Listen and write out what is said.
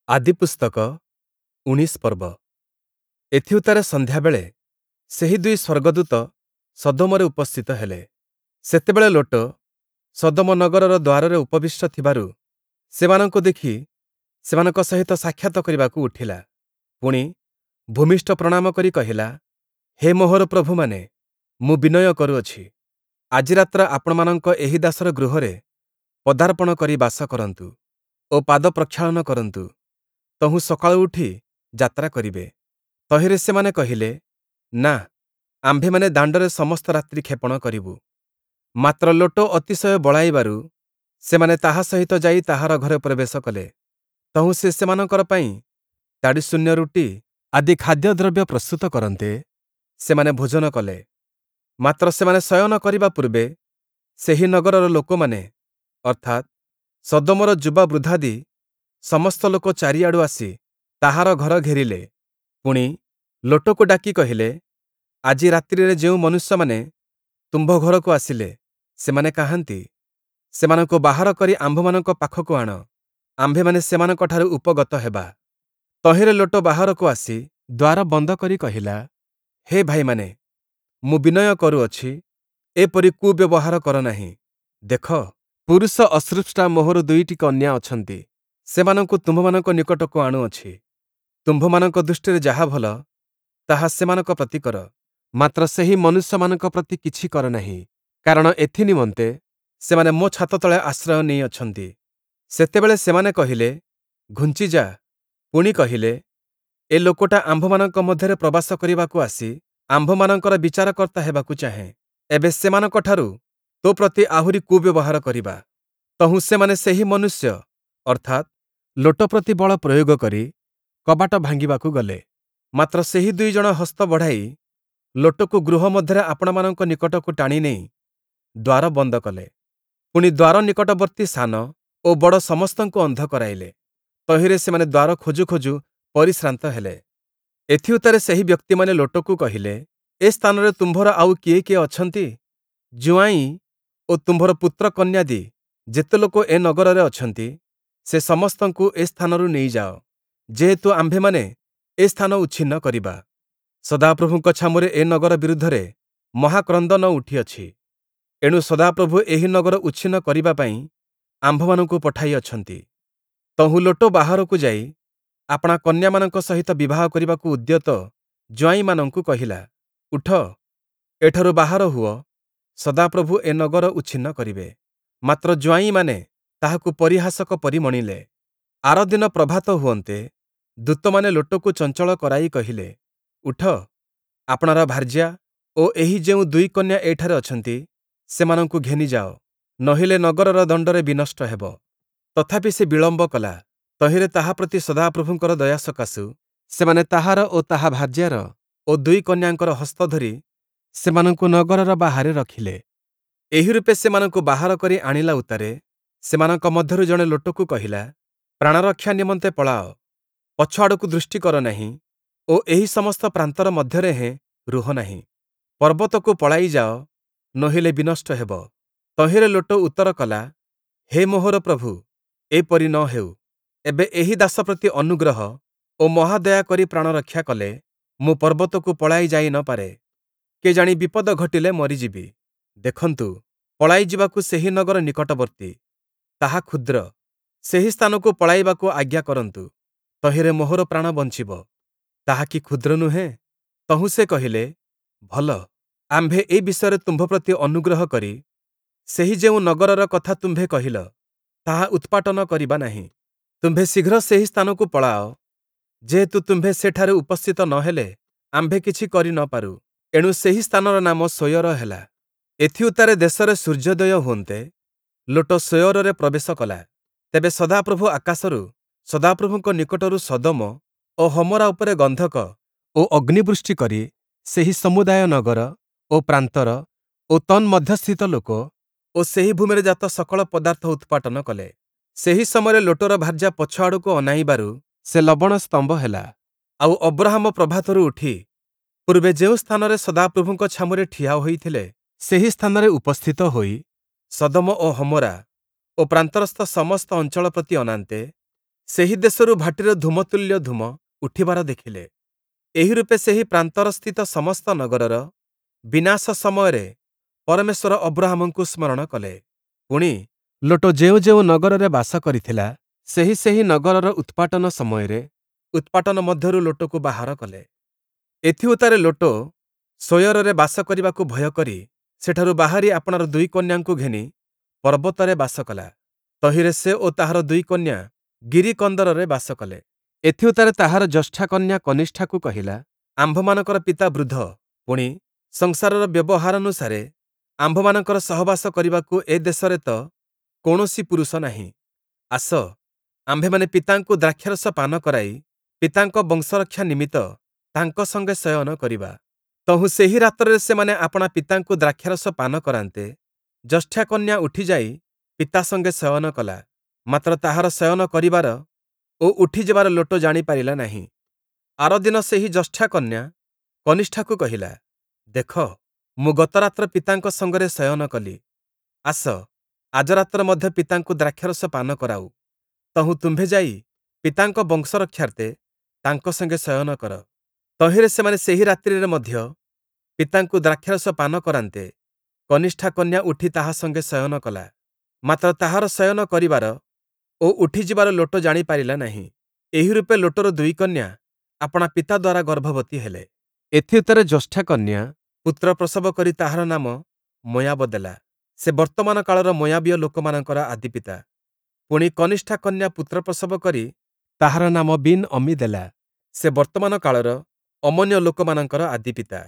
ଆଦିପୁସ୍ତକ ୧୯ ପର୍ବ। ଏଥିଉତ୍ତାରେ ସନ୍ଧ୍ୟାବେଳେ ସେହି ଦୁଇ ସ୍ୱର୍ଗଦୂତ ସଦୋମରେ ଉପସ୍ଥିତ ହେଲେ। ସେତେବେଳେ ଲୋଟ ସଦୋମ ନଗରର ଦ୍ୱାରରେ ଉପବିଷ୍ଟ ଥିବାରୁ ସେମାନଙ୍କୁ ଦେଖି ସେମାନଙ୍କ ସହିତ ସାକ୍ଷାତ କରିବାକୁ ଉଠିଲା। ପୁଣି, ଭୂମିଷ୍ଠ ପ୍ରଣାମ କରି କହିଲା, ହେ ମୋହର ପ୍ରଭୁମାନେ, ମୁଁ ବିନୟ କରୁଅଛି, ଆଜି ରାତ୍ର ଆପଣମାନଙ୍କ ଏହି ଦାସର ଗୃହରେ ପଦାର୍ପଣ କରି ବାସ କରନ୍ତୁ ଓ ପାଦ ପ୍ରକ୍ଷାଳନ କରନ୍ତୁ, ତହୁଁ ସକାଳୁ ଉଠି ଯାତ୍ରା କରିବେ। ତହିଁରେ ସେମାନେ କହିଲେ, ନା, ଆମ୍ଭେମାନେ ଦାଣ୍ଡରେ ସମସ୍ତ ରାତ୍ରି କ୍ଷେପଣ କରିବୁ। ମାତ୍ର ଲୋଟ ଅତିଶୟ ବଳାଇବାରୁ ସେମାନେ ତାହା ସହିତ ଯାଇ ତାହାର ଘରେ ପ୍ରବେଶ କଲେ। ତହୁଁ ସେ ସେମାନଙ୍କର ପାଇଁ ତାଡ଼ିଶୂନ୍ୟ ରୁଟି ଆଦି ଖାଦ୍ୟଦ୍ରବ୍ୟ ପ୍ରସ୍ତୁତ କରନ୍ତେ, ସେମାନେ ଭୋଜନ କଲେ। ମାତ୍ର ସେମାନେ ଶୟନ କରିବା ପୂର୍ବେ ସେହି ନଗରର ଲୋକମାନେ, ଅର୍ଥାତ୍, ସଦୋମର ଯୁବା ବୃଦ୍ଧାଦି ସମସ୍ତ ଲୋକ ଚାରିଆଡ଼ୁ ଆସି ତାହାର ଘର ଘେରିଲେ। ପୁଣି, ଲୋଟକୁ ଡାକି କହିଲେ, ଆଜି ରାତ୍ରିରେ ଯେଉଁ ମନୁଷ୍ୟମାନେ ତୁମ୍ଭ ଘରକୁ ଆସିଲେ, ସେମାନେ କାହାନ୍ତି? ସେମାନଙ୍କୁ ବାହାର କରି ଆମ୍ଭମାନଙ୍କ ପାଖକୁ ଆଣ, ଆମ୍ଭେମାନେ ସେମାନଙ୍କଠାରୁ ଉପଗତ ହେବା। ତହିଁରେ ଲୋଟ ବାହାରକୁ ଆସି ଦ୍ୱାର ବନ୍ଦ କରି କହିଲା, ହେ ଭାଇମାନେ, ମୁଁ ବିନୟ କରୁଅଛି, ଏପରି କୁବ୍ୟବହାର କର ନାହିଁ। ଦେଖ, ପୁରୁଷ ଅସୃଷ୍ଟା ମୋହର ଦୁଇଟି କନ୍ୟା ଅଛନ୍ତି, ସେମାନଙ୍କୁ ତୁମ୍ଭମାନଙ୍କ ନିକଟକୁ ଆଣୁଅଛି। ତୁମ୍ଭମାନଙ୍କ ଦୃଷ୍ଟିରେ ଯାହା ଭଲ, ତାହା ସେମାନଙ୍କ ପ୍ରତି କର। ମାତ୍ର ସେହି ମନୁଷ୍ୟମାନଙ୍କ ପ୍ରତି କିଛି କର ନାହିଁ, କାରଣ ଏଥି ନିମନ୍ତେ ସେମାନେ ମୋ ଛାତ ତଳେ ଆଶ୍ରୟ ନେଇଅଛନ୍ତି। ସେତେବେଳେ ସେମାନେ କହିଲେ, ଘୁଞ୍ଚିଯା। ପୁଣି କହିଲେ, ଏ ଲୋକଟା ଆମ୍ଭମାନଙ୍କ ମଧ୍ୟରେ ପ୍ରବାସ କରିବାକୁ ଆସି ଆମ୍ଭମାନଙ୍କର ବିଚାରକର୍ତ୍ତା ହେବାକୁ ଚାହେଁ। ଏବେ ସେମାନଙ୍କଠାରୁ ତୋ ପ୍ରତି ଆହୁରି କୁବ୍ୟବହାର କରିବା। ତହୁଁ ସେମାନେ ସେହି ମନୁଷ୍ୟ, ଅର୍ଥାତ୍, ଲୋଟ ପ୍ରତି ବଳ ପ୍ରୟୋଗ କରି କବାଟ ଭାଙ୍ଗିବାକୁ ଗଲେ। ମାତ୍ର ସେହି ଦୁଇ ଜଣ ହସ୍ତ ବଢ଼ାଇ ଲୋଟକୁ ଗୃହ ମଧ୍ୟରେ ଆପଣାମାନଙ୍କ ନିକଟକୁ ଟାଣି ନେଇ ଦ୍ୱାର ବନ୍ଦ କଲେ। ପୁଣି ଦ୍ୱାର ନିକଟବର୍ତ୍ତୀ ସାନ ଓ ବଡ଼ ସମସ୍ତଙ୍କୁ ଅନ୍ଧ କରାଇଲେ। ତହିଁରେ ସେମାନେ ଦ୍ୱାର ଖୋଜୁ ଖୋଜୁ ପରିଶ୍ରାନ୍ତ ହେଲେ। ଏଥିଉତ୍ତାରେ ସେହି ବ୍ୟକ୍ତିମାନେ ଲୋଟକୁ କହିଲେ, ଏ ସ୍ଥାନରେ ତୁମ୍ଭର ଆଉ କିଏ କିଏ ଅଛନ୍ତି? ଜୁଆଇଁ ଓ ତୁମ୍ଭର ପୁତ୍ର କନ୍ୟାଦି ଯେତେ ଲୋକ ଏ ନଗରରେ ଅଛନ୍ତି, ସେ ସମସ୍ତଙ୍କୁ ଏ ସ୍ଥାନରୁ ନେଇଯାଅ, ଯେହେତୁ ଆମ୍ଭେମାନେ ଏ ସ୍ଥାନ ଉଚ୍ଛିନ୍ନ କରିବା। ସଦାପ୍ରଭୁଙ୍କ ଛାମୁରେ ଏ ନଗର ବିରୁଦ୍ଧରେ ମହାକ୍ରନ୍ଦନ ଉଠିଅଛି। ଏଣୁ ସଦାପ୍ରଭୁ ଏହି ନଗର ଉଚ୍ଛିନ୍ନ କରିବା ପାଇଁ ଆମ୍ଭମାନଙ୍କୁ ପଠାଇଅଛନ୍ତି। ତହୁଁ ଲୋଟ ବାହାରକୁ ଯାଇ ଆପଣା କନ୍ୟାମାନଙ୍କ ସହିତ ବିବାହ କରିବାକୁ ଉଦ୍ୟତ ଜୁଆଇଁମାନଙ୍କୁ କହିଲା, ଉଠ, ଏଠାରୁ ବାହାର ହୁଅ, ସଦାପ୍ରଭୁ ଏ ନଗର ଉଚ୍ଛିନ୍ନ କରିବେ। ମାତ୍ର ଜୁଆଇଁମାନେ ତାହାକୁ ପରିହାସକ ପରି ମଣିଲେ। ଆରଦିନ ପ୍ରଭାତ ହୁଅନ୍ତେ ଦୂତମାନେ ଲୋଟକୁ ଚଞ୍ଚଳ କରାଇ କହିଲେ, ଉଠ, ଆପଣାର ଭାର୍ଯ୍ୟା ଓ ଏହି ଯେଉଁ ଦୁଇ କନ୍ୟା ଏଠାରେ ଅଛନ୍ତି, ସେମାନଙ୍କୁ ଘେନିଯାଅ, ନୋହିଲେ ନଗରର ଦଣ୍ଡରେ ବିନଷ୍ଟ ହେବ। ତଥାପି ସେ ବିଳମ୍ବ କଲା। ତହିଁରେ ତାହା ପ୍ରତି ସଦାପ୍ରଭୁଙ୍କର ଦୟା ସକାଶୁ ସେମାନେ ତାହାର ଓ ତାହା ଭାର୍ଯ୍ୟାର ଓ ଦୁଇ କନ୍ୟାଙ୍କର ହସ୍ତ ଧରି ସେମାନଙ୍କୁ ନଗରର ବାହାରେ ରଖିଲେ। ଏହିରୂପେ ସେମାନଙ୍କୁ ବାହାର କରି ଆଣିଲା ଉତ୍ତାରେ ସେମାନଙ୍କ ମଧ୍ୟରୁ ଜଣେ ଲୋଟକୁ କହିଲା, ପ୍ରାଣରକ୍ଷା ନିମନ୍ତେ ପଳାଅ, ପଛଆଡ଼କୁ ଦୃଷ୍ଟି କର ନାହିଁ ଓ ଏହି ସମସ୍ତ ପ୍ରାନ୍ତର ମଧ୍ୟରେ ହେଁ ରୁହ ନାହିଁ। ପର୍ବତକୁ ପଳାଇ ଯାଅ, ନୋହିଲେ ବିନଷ୍ଟ ହେବ। ତହିଁରେ ଲୋଟ ଉତ୍ତର କଲା, ହେ ମୋହର ପ୍ରଭୁ, ଏପରି ନ ହେଉ। ଏବେ ଏହି ଦାସ ପ୍ରତି ଅନୁଗ୍ରହ ଓ ମହାଦୟା କରି ପ୍ରାଣରକ୍ଷା କଲେ ମୁଁ ପର୍ବତକୁ ପଳାଇ ଯାଇ ନ ପାରେ। କେଜାଣି ବିପଦ ଘଟିଲେ ମରିଯିବି। ଦେଖନ୍ତୁ, ପଳାଇ ଯିବାକୁ ସେହି ନଗର ନିକଟବର୍ତ୍ତୀ, ତାହା କ୍ଷୁଦ୍ର। ସେହି ସ୍ଥାନକୁ ପଳାଇବାକୁ ଆଜ୍ଞା କରନ୍ତୁ, ତହିଁରେ ମୋହର ପ୍ରାଣ ବଞ୍ଚିବ। ତାହା କି କ୍ଷୁଦ୍ର ନୁହେଁ? ତହୁଁ ସେ କହିଲେ, ଭଲ, ଆମ୍ଭେ ଏ ବିଷୟରେ ତୁମ୍ଭ ପ୍ରତି ଅନୁଗ୍ରହ କରି ସେହି ଯେଉଁ ନଗରର କଥା ତୁମ୍ଭେ କହିଲ, ତାହା ଉତ୍ପାଟନ କରିବା ନାହିଁ। ତୁମ୍ଭେ ଶୀଘ୍ର ସେହି ସ୍ଥାନକୁ ପଳାଅ, ଯେହେତୁ ତୁମ୍ଭେ ସେଠାରେ ଉପସ୍ଥିତ ନ ହେଲେ ଆମ୍ଭେ କିଛି କରି ନ ପାରୁ। ଏଣୁ ସେହି ସ୍ଥାନର ନାମ ସୋୟର ହେଲା। ଏଥିଉତ୍ତାରେ ଦେଶରେ ସୂର୍ଯ୍ୟୋଦୟ ହୁଅନ୍ତେ ଲୋଟ ସୋୟରରେ ପ୍ରବେଶ କଲା। ତେବେ ସଦାପ୍ରଭୁ ଆକାଶରୁ ସଦାପ୍ରଭୁଙ୍କ ନିକଟରୁ ସଦୋମ ଓ ହମୋରା ଉପରେ ଗନ୍ଧକ ଓ ଅଗ୍ନିବୃଷ୍ଟି କରି ସେହି ସମୁଦାୟ ନଗର ଓ ପ୍ରାନ୍ତର ଓ ତନ୍ମଧ୍ୟସ୍ଥିତ ଲୋକ ଓ ସେହି ଭୂମିରେ ଜାତ ସକଳ ପଦାର୍ଥ ଉତ୍ପାଟନ କଲେ। ସେହି ସମୟରେ ଲୋଟର ଭାର୍ଯ୍ୟା ପଛଆଡ଼କୁ ଅନାଇବାରୁ ସେ ଲବଣ ସ୍ତମ୍ଭ ହେଲା। ଆଉ ଅବ୍ରହାମ ପ୍ରଭାତରୁ ଉଠି ପୂର୍ବେ ଯେଉଁ ସ୍ଥାନରେ ସଦାପ୍ରଭୁଙ୍କ ଛାମୁରେ ଠିଆ ହୋଇଥିଲେ, ସେହି ସ୍ଥାନରେ ଉପସ୍ଥିତ ହୋଇ ସଦୋମ ଓ ହମୋରା ଓ ପ୍ରାନ୍ତରସ୍ଥ ସମସ୍ତ ଅଞ୍ଚଳ ପ୍ରତି ଅନାନ୍ତେ, ସେହି ଦେଶରୁ ଭାଟିର ଧୂମତୁଲ୍ୟ ଧୂମ ଉଠିବାର ଦେଖିଲେ। ଏହିରୂପେ ସେହି ପ୍ରାନ୍ତରସ୍ଥିତ ସମସ୍ତ ନଗରର ବିନାଶ ସମୟରେ ପରମେଶ୍ୱର ଅବ୍ରହାମଙ୍କୁ ସ୍ମରଣ କଲେ। ପୁଣି, ଲୋଟ ଯେଉଁ ଯେଉଁ ନଗରରେ ବାସ କରିଥିଲା, ସେହି ସେହି ନଗରର ଉତ୍ପାଟନ ସମୟରେ ଉତ୍ପାଟନ ମଧ୍ୟରୁ ଲୋଟକୁ ବାହାର କଲେ। ଏଥିଉତ୍ତାରେ ଲୋଟ ସୋୟରରେ ବାସ କରିବାକୁ ଭୟ କରି ସେଠାରୁ ବାହାରି ଆପଣାର ଦୁଇ କନ୍ୟାଙ୍କୁ ଘେନି ପର୍ବତରେ ବାସ କଲା। ତହିଁରେ ସେ ଓ ତାହାର ଦୁଇ କନ୍ୟା ଗିରିକନ୍ଦରରେ ବାସ କଲେ। ଏଥିଉତ୍ତାରେ ତାହାର ଜ୍ୟେଷ୍ଠା କନ୍ୟା କନିଷ୍ଠାକୁ କହିଲା, ଆମ୍ଭମାନଙ୍କର ପିତା ବୃଦ୍ଧ, ପୁଣି, ସଂସାରର ବ୍ୟବହାରାନୁସାରେ ଆମ୍ଭମାନଙ୍କର ସହବାସ କରିବାକୁ ଏ ଦେଶରେ ତ କୌଣସି ପୁରୁଷ ନାହିଁ। ଆସ, ଆମ୍ଭେମାନେ ପିତାଙ୍କୁ ଦ୍ରାକ୍ଷାରସ ପାନ କରାଇ ପିତାଙ୍କ ବଂଶରକ୍ଷା ନିମିତ୍ତ ତାଙ୍କ ସଙ୍ଗେ ଶୟନ କରିବା। ତହୁଁ ସେହି ରାତ୍ରରେ ସେମାନେ ଆପଣା ପିତାଙ୍କୁ ଦ୍ରାକ୍ଷାରସ ପାନ କରାନ୍ତେ, ଜ୍ୟେଷ୍ଠା କନ୍ୟା ଉଠିଯାଇ ପିତା ସଙ୍ଗେ ଶୟନ କଲା, ମାତ୍ର ତାହାର ଶୟନ କରିବାର ଓ ଉଠିଯିବାର ଲୋଟ ଜାଣି ପାରିଲା ନାହିଁ। ଆରଦିନ ସେହି ଜ୍ୟେଷ୍ଠା କନ୍ୟା କନିଷ୍ଠାକୁ କହିଲା, ଦେଖ, ମୁଁ ଗତରାତ୍ର ପିତାଙ୍କ ସଙ୍ଗରେ ଶୟନ କଲି, ଆସ, ଆଜ ରାତ୍ର ମଧ୍ୟ ପିତାଙ୍କୁ ଦ୍ରାକ୍ଷାରସ ପାନ କରାଉ, ତହୁଁ ତୁମ୍ଭେ ଯାଇ ପିତାଙ୍କ ବଂଶରକ୍ଷାର୍ଥେ ତାଙ୍କ ସଙ୍ଗେ ଶୟନ କର। ତହିଁରେ ସେମାନେ ସେହି ରାତ୍ରିରେ ମଧ୍ୟ ପିତାଙ୍କୁ ଦ୍ରାକ୍ଷାରସ ପାନ କରାନ୍ତେ, କନିଷ୍ଠା କନ୍ୟା ଉଠି ତାହା ସଙ୍ଗେ ଶୟନ କଲା, ମାତ୍ର ତାହାର ଶୟନ କରିବାର ଓ ଉଠିଯିବାର ଲୋଟ ଜାଣି ପାରିଲା ନାହିଁ। ଏହିରୂପେ ଲୋଟର ଦୁଇ କନ୍ୟା ଆପଣା ପିତା ଦ୍ୱାରା ଗର୍ଭବତୀ ହେଲେ। ଏଥିଉତ୍ତାରେ ଜ୍ୟେଷ୍ଠା କନ୍ୟା ପୁତ୍ର ପ୍ରସବ କରି ତାହାର ନାମ ମୋୟାବ ଦେଲା, ସେ ବର୍ତ୍ତମାନ କାଳର ମୋୟାବୀୟ ଲୋକମାନଙ୍କର ଆଦିପିତା। ପୁଣି, କନିଷ୍ଠା କନ୍ୟା ପୁତ୍ର ପ୍ରସବ କରି ତାହାର ନାମ ବିନ୍ ଅମ୍ମୀ ଦେଲା, ସେ ବର୍ତ୍ତମାନ କାଳର ଅମ୍ମୋନୀୟ ଲୋକମାନଙ୍କର ଆଦିପିତା।